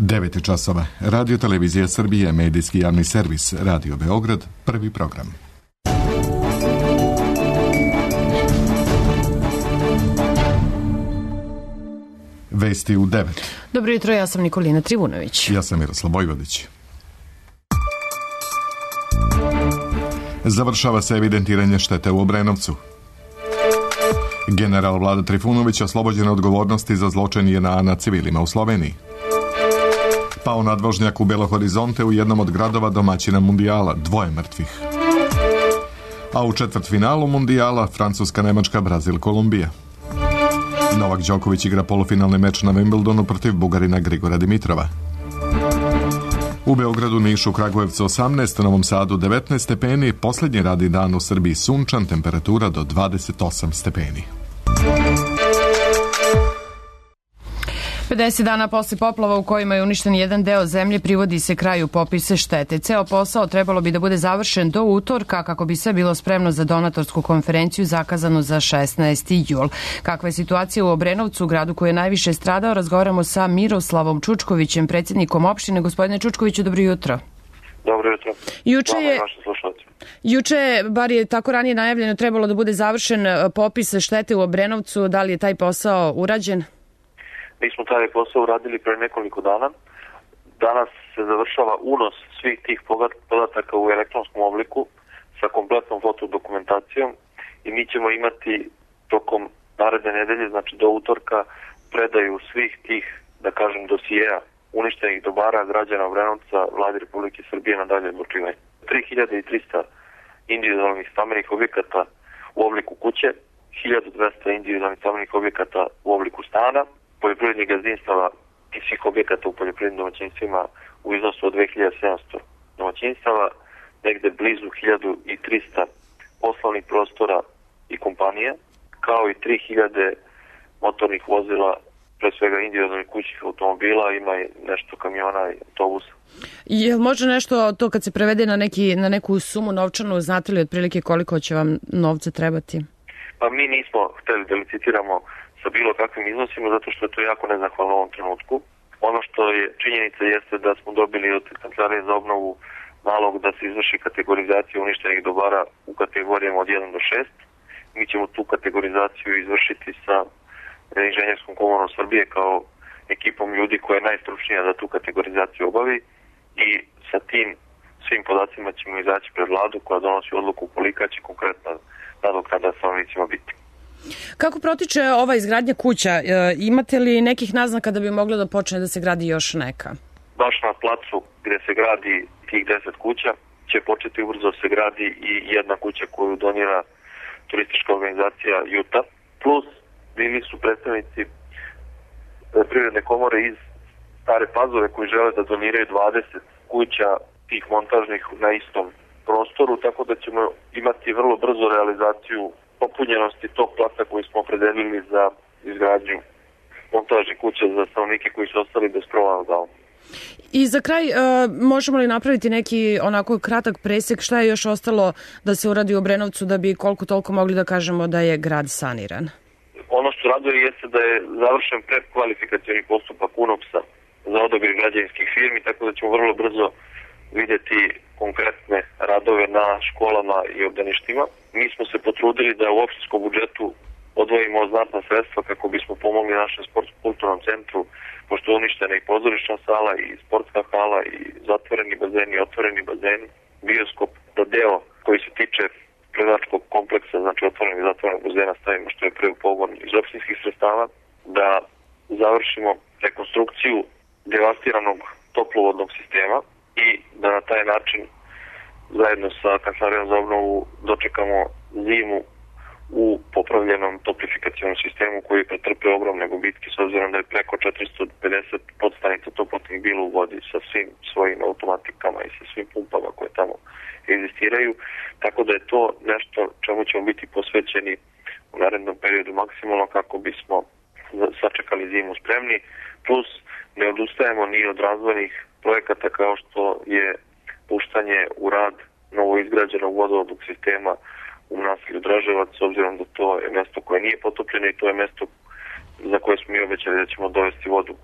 9 časova. Radio Televizija Srbije, medijski javni servis, Radio Beograd, prvi program. Vesti u 9. Dobro jutro, ja sam Nikolina Trivunović. Ja sam Miroslav Vojvodić. Završava se evidentiranje štete u Obrenovcu. General Vlada Trifunović oslobođen odgovornosti za zločin JNA nad civilima u Sloveniji. Pao nadvožnjak u Belo Horizonte u jednom od gradova domaćina Mundijala, 2 mrtvih. A u četvrtfinalu Mundijala Francuska, Nemačka, Brazil, Kolumbija. Novak Đoković igra polufinalni meč na Wimbledonu protiv Bugarina Grigora Dimitrova. U Beogradu, Nišu, Kragujevcu 18, Novom Sadu 19 stepeni, posljednji radni dan u Srbiji sunčan, temperatura do 28 stepeni. 50 dana posle poplava u kojima je uništen jedan deo zemlje privodi se kraju popise štete. Ceo posao trebalo bi da bude završen do utorka kako bi sve bilo spremno za donatorsku konferenciju zakazanu za 16. jul. Kakva je situacija u Obrenovcu, gradu koji je najviše stradao, razgovaramo sa Miroslavom Čučkovićem, predsjednikom opštine. Gospodine Čučkoviću, dobro jutro. Dobro jutro. Juče je, bar je tako ranije najavljeno, trebalo da bude završen popis štete u Obrenovcu. Da li je taj posao urađen? Mi smo taj posao uradili pre nekoliko dana. Danas se završava unos svih tih podataka u elektronskom obliku sa kompletnom fotodokumentacijom i mi ćemo imati tokom naredne nedelje, znači do utorka, predaju svih tih, da kažem, dosijeja uništenih dobara građana Obrenovca Vladi Republike Srbije na dalje odlučivanje. 3300 individualnih stambenih objekata u obliku kuće, 1200 individualnih stambenih objekata u obliku stana, poljoprivrednih gazdinstava i svih objekata u poljoprivrednim domaćinstvima u iznosu od 2700 domaćinstava, negde blizu 1300 poslovnih prostora i kompanija, kao i 3000 motornih vozila, pre svega individualnih kućnih automobila, ima i nešto kamiona i autobusa. Jel može nešto to kad se prevede na neku sumu novčanu, znate li otprilike koliko će vam novca trebati? Pa mi nismo hteli da licitiramo sa bilo kakvim iznosima, zato što je to jako nezahvalno u ovom trenutku. Ono što je činjenica jeste da smo dobili od Kancelarije za obnovu nalog da se izvrši kategorizacija uništenih dobara u kategorijama od 1 do 6. Mi ćemo tu kategorizaciju izvršiti sa Inženjerskom komorom Srbije kao ekipom ljudi koja je najstručnija da tu kategorizaciju obavi i sa tim svim podacima ćemo izaći pred vladu koja donosi odluku kolika će konkretna nadoknada stanovnicima biti. Kako protiče ova izgradnja kuća? Imate li nekih naznaka da bi moglo da počne da se gradi još neka? Baš na placu gde se gradi tih 10 kuća će početi ubrzo se gradi i jedna kuća koju donira turistička organizacija Juta. Plus bili su predstavnici Privredne komore iz Stare Pazove koji žele da doniraju 20 kuća tih montažnih na istom prostoru, tako da ćemo imati vrlo brzo realizaciju popunjenosti tog placa koji smo opredelili za izgradnju montažnih kuća za stanovnike koji su ostali bez krova nad glavom. I za kraj, možemo li napraviti neki onako kratak presek šta je još ostalo da se uradi u Obrenovcu da bi koliko toliko mogli da kažemo da je grad saniran? Ono što raduje jeste da je završen predkvalifikacioni postupak UNOPS-a za odabir građevinskih firmi, tako da ćemo vrlo brzo vidjeti konkretne radove na školama i obdaništima. Mi smo se potrudili da u opštinskom budžetu odvojimo znatna sredstva kako bismo pomogli našem sportsko-kulturnom centru, pošto je uništena i pozorišna sala i sportska hala i zatvoreni bazeni i otvoreni bazeni, bioskop, da deo koji se tiče predačkog kompleksa, znači otvorenog i zatvorenog bazena stavimo što je prvi pogon iz opštinskih sredstava, da završimo rekonstrukciju devastiranog toplovodnog sistema i da na taj način zajedno sa Kancelarijom za obnovu dočekamo zimu u popravljenom toplifikacionom sistemu koji je pretrpeo ogromne gubitke s obzirom da je preko 450 podstanica toplotnih bilo u vodi sa svim svojim automatikama i sa svim pumpama koje tamo egzistiraju. Tako da je to nešto čemu ćemo biti posvećeni u narednom periodu maksimalno kako bismo sačekali zimu spremni. Plus ne odustajemo ni od razvojnih projekata kao što je puštanje u rad novoizgrađenog vodovodnog sistema u naselju Draževac, s obzirom da to je mesto koje nije potopljeno i to je mesto za koje smo mi obećali da ćemo dovesti vodu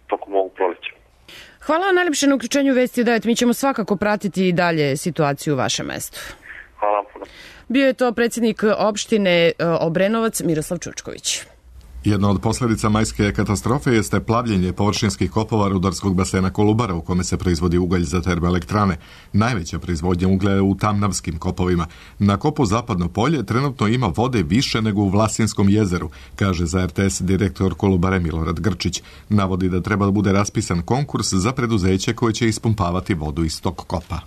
tokom ovog proleća. Hvala vam najljepše na uključenju Vesti u 9. Mi ćemo svakako pratiti i dalje situaciju u vašem mestu. Hvala puno. Bio je to predsjednik opštine Obrenovac Miroslav Čučković. Jedna od posljedica majske katastrofe jeste plavljenje površinskih kopova rudarskog basena Kolubara u kome se proizvodi ugalj za termoelektrane. Najveća proizvodnja uglja je u Tamnavskim kopovima. Na kopu Zapadno polje trenutno ima vode više nego u Vlasinskom jezeru, kaže za RTS direktor Kolubare Milorad Grčić. Navodi da treba da bude raspisan konkurs za preduzeće koje će ispumpavati vodu iz tog kopa.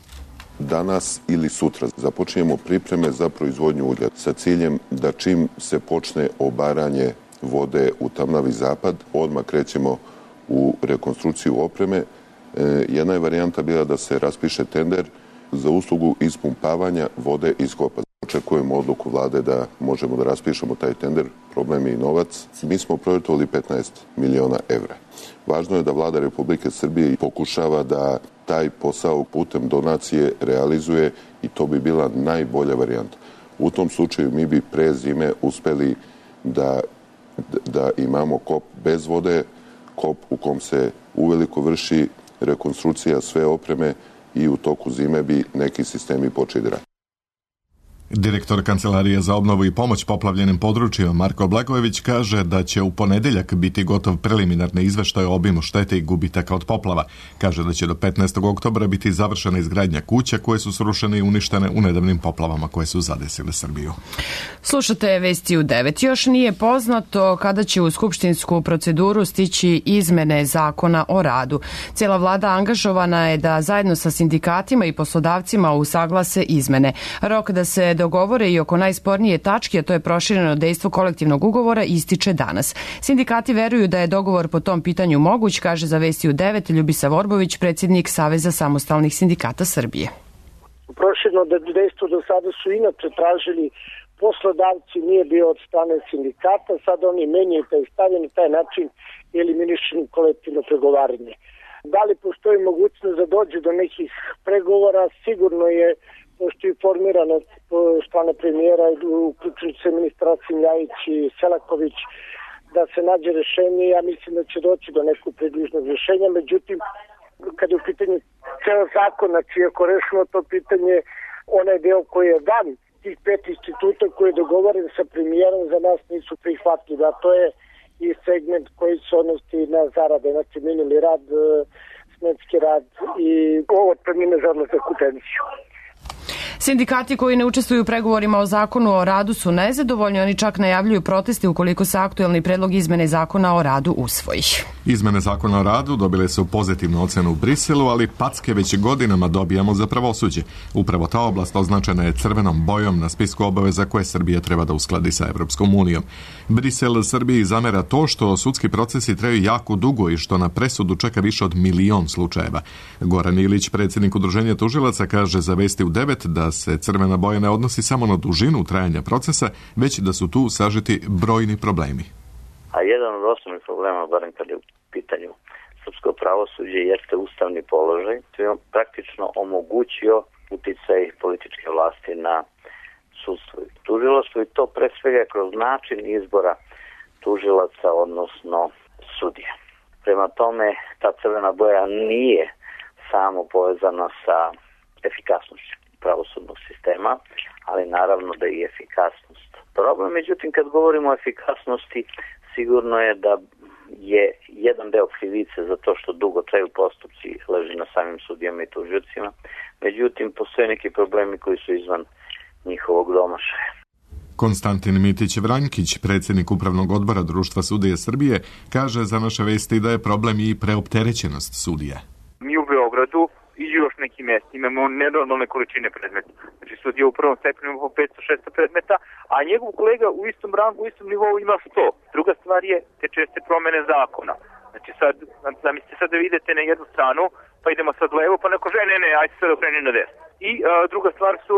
Danas ili sutra započinjemo pripreme za proizvodnju uglja sa ciljem da čim se počne obaranje vode u Tamnavi zapad, odmah krećemo u rekonstrukciju opreme. Jedna je varijanta bila da se raspiše tender za uslugu ispumpavanja vode iz kopa. Očekujemo odluku vlade da možemo da raspišemo taj tender, problem je i novac. Mi smo projektovali 15 miliona evra. Važno je da vlada Republike Srbije pokušava da taj posao putem donacije realizuje i to bi bila najbolja varijanta. U tom slučaju mi bi pre zime uspeli da imamo kop bez vode, kop u kom se uveliko vrši rekonstrukcija sve opreme i u toku zime bi neki sistemi počeli da rade. Direktor Kancelarije za obnovu i pomoć poplavljenim područjima Marko Blagojević kaže da će u ponedeljak biti gotov preliminarni izveštaj o obimu štete i gubitaka od poplava. Kaže da će do 15. oktobra biti završena izgradnja kuća koje su srušene i uništene u nedavnim poplavama koje su zadesile Srbiju. Slušate Vesti u 9. Još nije poznato kada će u skupštinsku proceduru stići izmene zakona o radu. Cijela vlada angažovana je da zajedno sa sindikatima i poslodavcima usaglase izmene. Rok da se dogovore i oko najspornije tačke, a to je prošireno dejstvo kolektivnog ugovora, ističe danas. Sindikati veruju da je dogovor po tom pitanju moguć, kaže za Vesti u 9 Ljubisa Vorbović, predsjednik Saveza samostalnih sindikata Srbije. Prošireno dejstvo do sada su inače tražili poslodavci, nije bio od strane sindikata, sad oni menjaju taj stav i na taj način eliminišu kolektivno pregovaranje. Da li postoji mogućnost da dođe do nekih pregovora? Sigurno je, pošto je formirano strane premijera, uključujući se ministraci Ljajić i Selaković, da se nađe rešenje. Ja mislim da će doći do nekog približnog rješenja. Međutim, kad je u pitanju ceo zakon, znači ako rešimo to pitanje, onaj deo koji je dan, tih 5 instituta koji je dogovoren sa premijerom, za nas nisu prihvatljivi, a to je i segment koji se odnosi na zarade, znači minuli rad, smenski rad i otpremnine za odlazak u penziju. Sindikati koji ne učestvuju u pregovorima o zakonu o radu su nezadovoljni, oni čak najavljuju proteste ukoliko se aktuelni predlog izmene zakona o radu usvoji. Izmene zakona o radu dobile su pozitivnu ocenu u Briselu, ali packe već godinama dobijamo za pravosuđe. Upravo ta oblast označena je crvenom bojom na spisku obaveza koje Srbija treba da uskladi sa Evropskom unijom. Brisel Srbiji zamera to što sudski procesi traju jako dugo i što na presudu čeka više od 1.000.000 slučajeva. Goran Ilić, predsjednik Udruženja tužilaca, kaže za Vesti u 9 da se crvena boja ne odnosi samo na dužinu trajanja procesa, već da su tu sažeti brojni problemi. A jedan od osnovnih problema, barem kad je u pitanju srpsko pravosuđe, jeste ustavni položaj. To je praktično omogućio uticaj političke vlasti na sudstvo i tužilaštvo i to pre svega kroz način izbora tužilaca, odnosno sudija. Prema tome, ta crvena boja nije samo povezana sa efikasnošću pravosudnog sistema, ali naravno da i efikasnost. Problem, međutim, kad govorimo o efikasnosti, sigurno je da je jedan deo krivice za to što dugo traju postupci leži na samim sudijama i tužiocima, međutim, postoje neki problemi koji su izvan njihovog domašaja. Konstantin Mitić-Vranjkić, predsjednik Upravnog odbora Društva sudija Srbije, kaže za naše Vesti da je problem i preopterećenost sudija. Mi u Beogradu i još nekim mjestima imamo nenormalne količine predmeta. Znači sudija u prvom stepenu ima 500-600 predmeta, a njegov kolega u istom rangu, u istom nivou ima 100. Druga stvar je te česte promene zakona. Znači sad, zamislite sad da idete na jednu stranu, pa idemo sad levo, pa neko kaže ne, ajde sad okreni na desno. I druga stvar su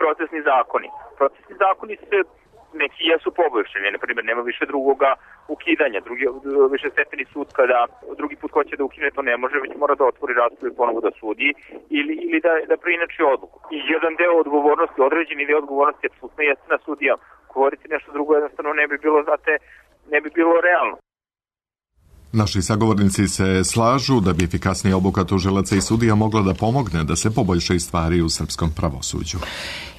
procesni zakoni. Procesni zakoni se neki jesu poboljšani, na primjer nema više drugoga ukidanja, više stepeni sud kada drugi put hoće da ukine to ne može, već mora da otvori raspravu i ponovo da sudi ili da preinači odluku. I jedan deo odgovornosti, određeni deo odgovornosti apsolutno jeste na sudijama. Govoriti nešto drugo jednostavno ne bi bilo realno. Naši sagovornici se slažu da bi efikasnija obuka tužilaca i sudija mogla da pomogne da se poboljšaju stvari u srpskom pravosuđu.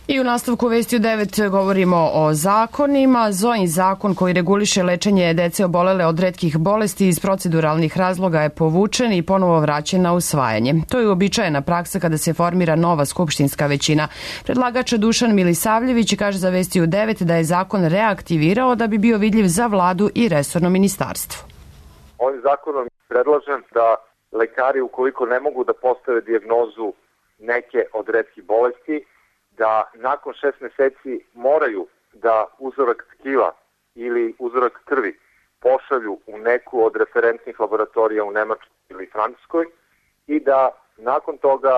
I u nastavku Vesti u 9 govorimo o zakonima. Zojin zakon koji reguliše lečenje dece obolele od retkih bolesti iz proceduralnih razloga je povučen i ponovo vraćen na usvajanje. To je uobičajena praksa kada se formira nova skupštinska većina. Predlagač Dušan Milisavljević kaže za Vesti u 9 da je zakon reaktivirao da bi bio vidljiv za vladu i resorno ministarstvo. Ovim zakonom predlažem da lekari, ukoliko ne mogu da postave dijagnozu neke od retkih bolesti, da nakon 6 meseci moraju da uzorak tkiva ili uzorak krvi pošalju u neku od referentnih laboratorija u Nemačkoj ili Francuskoj i da nakon toga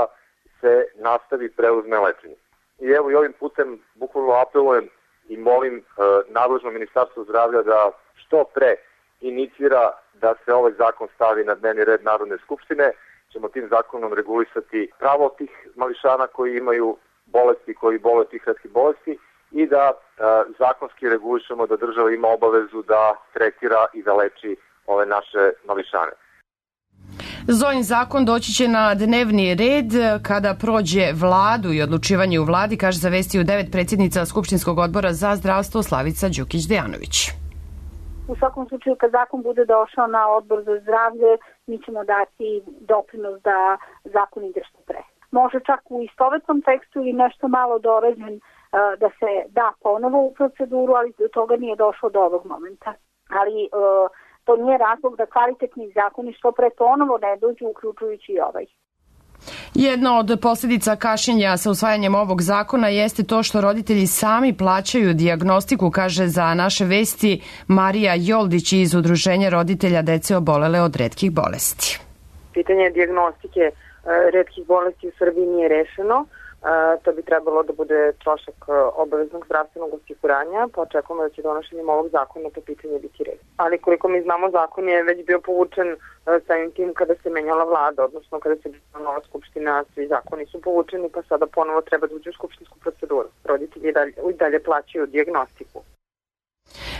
se nastavi preuzme lečenje. I evo i ovim putem bukvalno apelujem i molim nadležno Ministarstvo zdravlja da što pre inicira da se ovaj zakon stavi na dnevni red Narodne skupštine. Ćemo tim zakonom regulisati pravo tih mališana koji imaju bolesti, koji bole tih retkih bolesti i da zakonski regulišemo da država ima obavezu da tretira i da leči ove naše mališane. Zojin zakon doći će na dnevni red kada prođe vladu i odlučivanje u vladi, kaže za Vesti u 9 predsjednica Skupštinskog odbora za zdravstvo Slavica Đukić-Dejanović. U svakom slučaju, kad zakon bude došao na odbor za zdravlje, mi ćemo dati doprinos da zakon ide što pre. Može čak u istovetnom tekstu ili nešto malo dorađen da se da ponovo u proceduru, ali do toga nije došlo do ovog momenta. Ali to nije razlog da kvalitetni zakoni što pre ponovo ne dođu, uključujući i ovaj. Jedna od posljedica kašnjenja sa usvajanjem ovog zakona jeste to što roditelji sami plaćaju dijagnostiku, kaže za naše Vesti Marija Joldić iz Udruženja roditelja dece obolele od retkih bolesti. Pitanje dijagnostike retkih bolesti u Srbiji nije rešeno. To bi trebalo da bude trošak obaveznog zdravstvenog osiguranja, pa očekujemo da će donošenjem ovog zakona to pitanje biti rešeno. Ali koliko mi znamo, zakon je već bio povučen samim tim kada se menjala vlada, odnosno kada se bila nova skupština, svi zakoni su povučeni, pa sada ponovo treba da uđe u skupštinsku proceduru. Roditelji i dalje plaćaju dijagnostiku.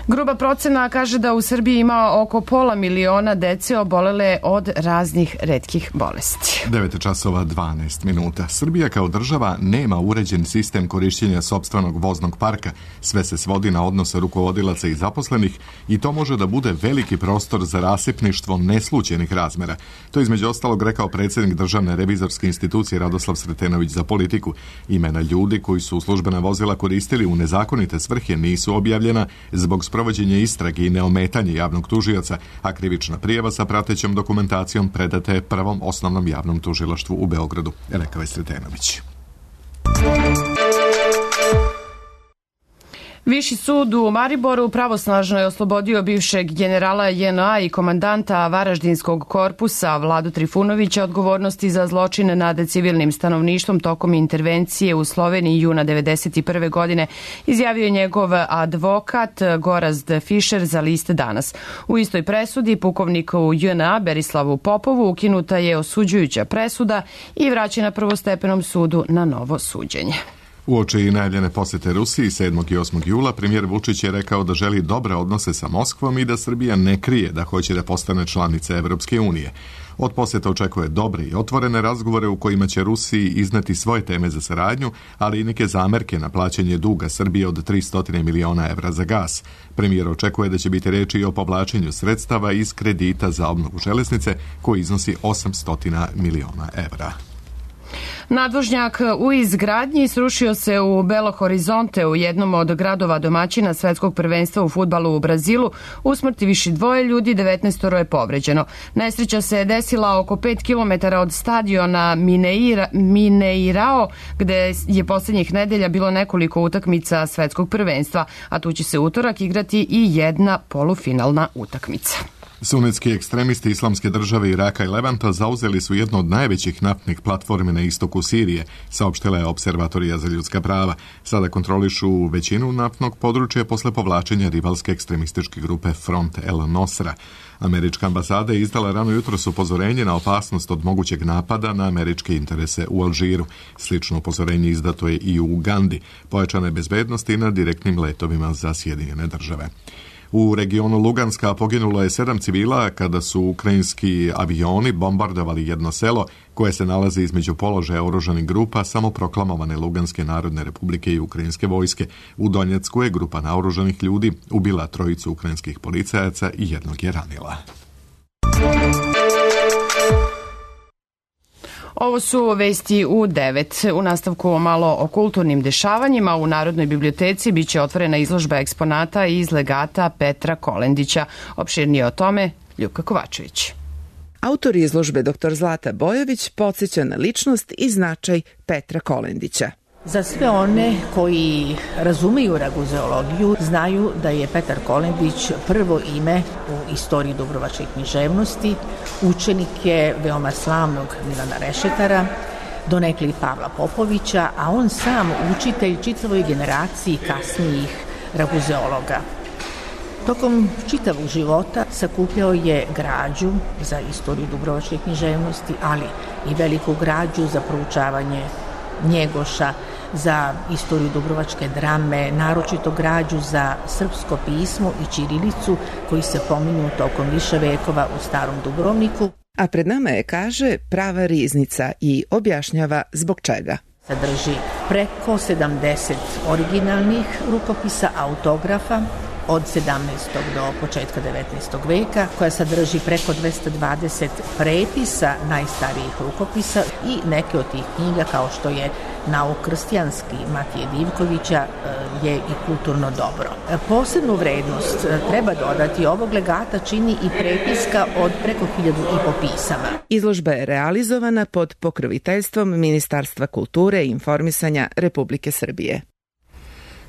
Gruba procena kaže da u Srbiji ima oko 500.000 dece obolele od raznih retkih bolesti. 9:12. Srbija kao država nema uređen sistem korišćenja sopstvenog voznog parka. Sve se svodi na odnose rukovodilaca i zaposlenih i to može da bude veliki prostor za rasipništvo neslućenih razmera. To je između ostalog rekao predsjednik Državne revizorske institucije Radoslav Sretenović za Politiku. Imena ljudi koji su službena vozila koristili u nezakonite svrhe nisu objavljena zbog sprovođenja istrage i neometanje javnog tužioca, a krivična prijava sa pratećom dokumentacijom predata je Prvom osnovnom javnom tužilaštvu u Beogradu, rekao je Sretenović. Viši sud u Mariboru pravosnažno je oslobodio bivšeg generala JNA i komandanta Varaždinskog korpusa Vladu Trifunovića odgovornosti za zločine nad civilnim stanovništvom tokom intervencije u Sloveniji juna 1991. godine, izjavio je njegov advokat Gorazd Fišer za list Danas. U istoj presudi pukovniku JNA Berislavu Popovu ukinuta je osuđujuća presuda i vraćena prvostepenom sudu na novo suđenje. Uoči i najavljene posete Rusiji 7. i 8. jula premijer Vučić je rekao da želi dobre odnose sa Moskvom i da Srbija ne krije da hoće da postane članica Evropske unije. Od poseta očekuje dobre i otvorene razgovore u kojima će Rusiji izneti svoje teme za saradnju, ali i neke zamerke na plaćanje duga Srbije od 300 miliona evra za gas. Premijer očekuje da će biti reči i o povlačenju sredstava iz kredita za obnovu železnice koji iznosi 800 miliona evra. Nadvožnjak u izgradnji srušio se u Belo Horizonte, u jednom od gradova domaćina svetskog prvenstva u fudbalu u Brazilu. Usmrti viši 2 ljudi, 19 je povređeno. Nesreća se desila oko 5 km od stadiona Mineirao, gde je posljednjih nedelja bilo nekoliko utakmica svetskog prvenstva, a tu će se utorak igrati i jedna polufinalna utakmica. Sunetski ekstremisti Islamske države Iraka i Levanta zauzeli su jednu od najvećih naftnih platformi na istoku Sirije, saopštila je Observatorija za ljudska prava. Sada kontrolišu većinu naftnog područja posle povlačenja rivalske ekstremističke grupe Front El Nosra. Američka ambasada je izdala rano jutros upozorenje na opasnost od mogućeg napada na američke interese u Alžiru. Slično upozorenje izdato je i u Ugandi. Pojačane bezbednosti na direktnim letovima za Sjedinjene države. U regionu Luganska poginulo je 7 civila kada su ukrajinski avioni bombardovali jedno selo koje se nalazi između položaja oružanih grupa samoproklamovane Luganske narodne republike i ukrajinske vojske. U Donjecku je grupa naoružanih ljudi ubila 3 ukrajinskih policajaca i jednog je ranila. Ovo su vesti u 9. U nastavku malo o kulturnim dešavanjima. U Narodnoj biblioteci biće otvorena izložba eksponata iz legata Petra Kolendića. Opširnije o tome Ljuka Kovačević. Autor izložbe dr. Zlata Bojović podsjeća na ličnost i značaj Petra Kolendića. Za sve one koji razumeju raguzeologiju, znaju da je Petar Kolendić prvo ime u istoriji dubrovačke književnosti, učenik je veoma slavnog Milana Rešetara, donekle i Pavla Popovića, a on sam učitelj čitavoj generaciji kasnijih raguzeologa. Tokom čitavog života sakupljao je građu za istoriju dubrovačke književnosti, ali i veliku građu za proučavanje Njegoša, za istoriju dubrovačke drame, naročito građu za srpsko pismo i ćirilicu koji se pominju tokom više vekova u Starom Dubrovniku. A pred nama je, kaže, prava riznica i objašnjava zbog čega. Sadrži preko 70 originalnih rukopisa, autografa, od 17. do početka 19. veka, koja sadrži preko 220 prepisa najstarijih rukopisa i neke od tih knjiga, kao što je Nauk krstijanski Matije Divkovića, je i kulturno dobro. Posebnu vrednost treba dodati ovog legata čini i prepiska od preko 1000 pisama. Izložba je realizovana pod pokroviteljstvom Ministarstva kulture i informisanja Republike Srbije.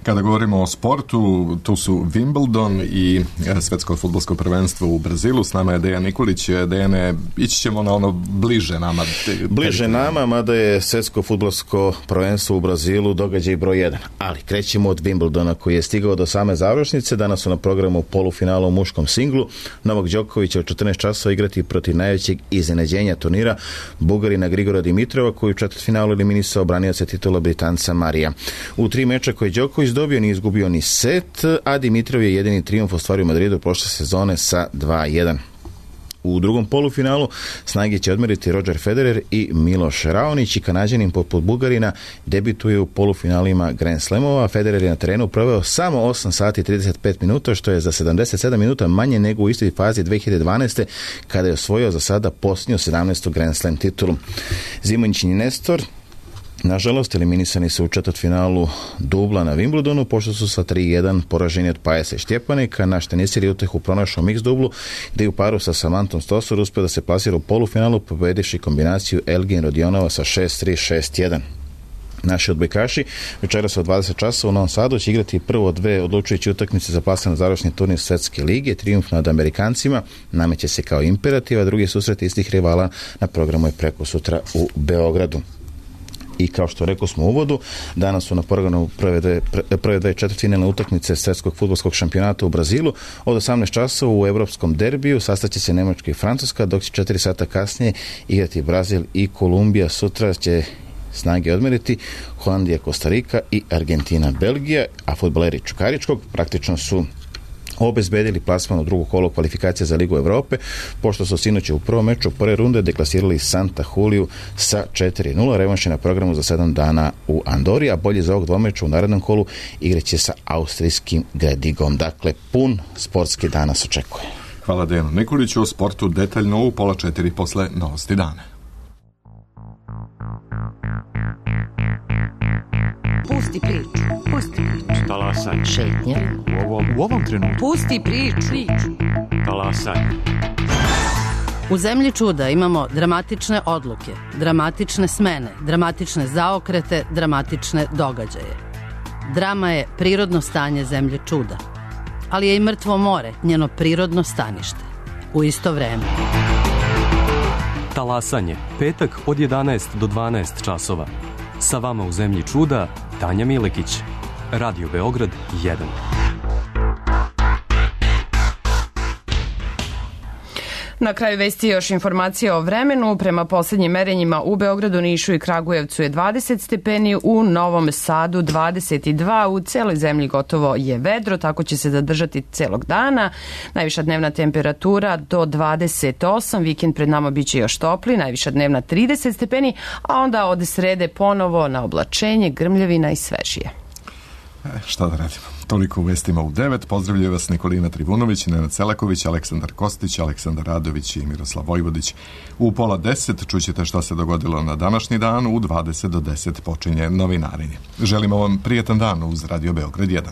Kada govorimo o sportu, tu su Wimbledon i svetsko fudbalsko prvenstvo u Brazilu. S nama je Dejan Nikolić. Dejane, ići ćemo na ono bliže nama. Bliže nama, mada je svetsko fudbalsko prvenstvo u Brazilu događaj broj 1. Ali krećemo od Wimbledona koji je stigao do same završnice. Danas su na programu polufinalu u muškom singlu. Novak Đoković će od 14 časova igrati protiv najvećeg iznenađenja turnira, Bugarina Grigora Dimitrova, koji u četvrtfinalu eliminisao branioca titula Britanca Marija. U 3 meča koje Đoković dobio, nije izgubio ni set, a Dimitrov je jedini trijumf ostvario u Madridu prošle sezone sa 2-1. U drugom polufinalu snage će odmeriti Roger Federer i Miloš Raonić i Kanađanin poput Bugarina debituje u polufinalima Grand Slamova. Federer je na terenu proveo samo 8 sati i 35 minuta, što je za 77 minuta manje nego u istoj fazi 2012. kada je osvojio za sada posljednju 17. Grand Slam titulu. Zimonjićin i Nestor nažalost eliminisani su u četvrtfinalu dubla na Wimbledonu, pošto su sa 3-1 poraženi od Pajesa i Štjepanika. Naš tenisir je utehu pronašao mix dublu, gdje je u paru sa Samantom Stosur uspio da se plasira u polufinalu, pobedivši kombinaciju Elgin Rodionova sa 6-3, 6-1. Naši odbojkaši večeras od 20 časova u Novom Sadu će igrati prvo 2 odlučujuće utakmice za plasman završni turnir Svetske lige. Trijumf nad Amerikancima nameće se kao imperativ, a drugi susret istih rivala na programu je preko sutra u Beogradu. I kao što rekao smo u uvodu, danas su na programu prve dve četvrtfinalne utakmice Svjetskog fudbalskog šampionata u Brazilu. Od 18 časova u evropskom derbiju sastaće se Nemačka i Francuska, dok će 4 sata kasnije igrati Brazil i Kolumbija. Sutra će snage odmeriti Holandija, Kostarika i Argentina, Belgija, a fudbaleri Čukaričkog praktično su obezbedili plasman u drugo kolo kvalifikacija za Ligu Evrope, pošto su sinoć u prvom meču prve runde deklasirali Santa Juliju sa 4-0. Revanš je na programu za 7 dana u Andori, a bolje za ovog dvomeča u narednom kolu igraće sa austrijskim Gredigom. Dakle, pun sportski dan nas očekuje. Hvala Dejanu Nikoliću. O sportu detaljno u 3:30 posle Novosti dana. Pusti priču. Pusti priču. Talasaj. Šetnja. U ovom trenutku. Pusti priču. Talasaj. U zemlji čuda imamo dramatične odluke, dramatične smene, dramatične zaokrete, dramatične događaje. Drama je prirodno stanje zemlje čuda, ali je i mrtvo more njeno prirodno stanište. U isto vreme. Talasanje. Petak od 11 do 12 časova. Sa vama u zemlji čuda Tanja Milekić. Radio Beograd 1. Na kraju vesti još informacija o vremenu. Prema posljednjim merenjima u Beogradu, Nišu i Kragujevcu je 20 stepeni, u Novom Sadu 22, u celoj zemlji gotovo je vedro, tako će se zadržati celog dana. Najviša dnevna temperatura do 28, vikend pred nama biće još topli, najviša dnevna 30 stepeni, a onda od srede ponovo na oblačenje, grmljavina i svežije. Šta da radimo? Toliko u vestima u 9. Pozdravljaju vas Nikolina Trivunović, Nenad Selaković, Aleksandar Kostić, Aleksandar Radović i Miroslav Vojvodić. U 9:30 čućete šta se dogodilo na današnji dan, u 20 do 10 počinje novinarenje. Želimo vam prijetan dan uz Radio Beograd 1.